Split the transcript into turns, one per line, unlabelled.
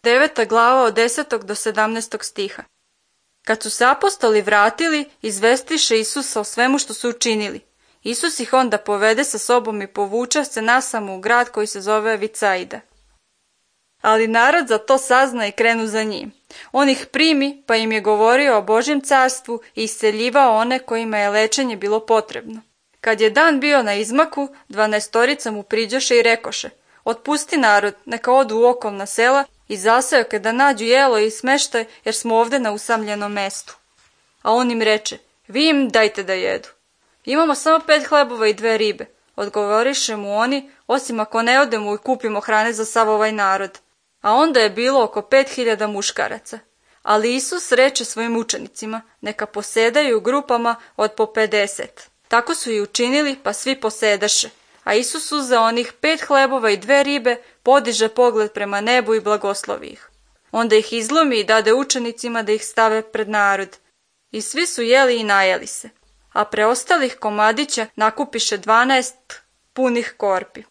9. glava od 10. do 17. stiha. Kad su se apostoli vratili, izvestiše Isusa o svemu što su učinili. Isus ih onda povede sa sobom i povuče se nasamo u grad koji se zove Vicaida. Ali narod za to sazna i krenu za njim. On ih primi, pa im je govorio o Božjem carstvu i isceljivao one kojima je lečenje bilo potrebno. Kad je dan bio na izmaku, 12 mu priđoše i rekoše: otpusti narod, neka odu u okolna sela i zaseoke da nađu jelo i smeštaj, jer smo ovde na usamljenom mestu. A on im reče: vi im dajte da jedu. Imamo samo 5 hlebova i 2 ribe, odgovoriše mu oni, osim ako ne odemo i kupimo hrane za sav ovaj narod. A onda je bilo oko 5.000 muškaraca. Ali Isus reče svojim učenicima: neka posedaju u grupama od po 50. Tako su i učinili, pa svi posedaše. A Isus uzeo onih 5 hlebova i 2 ribe, podiže pogled prema nebu i blagoslovi ih. Onda ih izlomi i dade učenicima da ih stave pred narod. I svi su jeli i najeli se. A preostalih komadića nakupiše 12 punih korpi.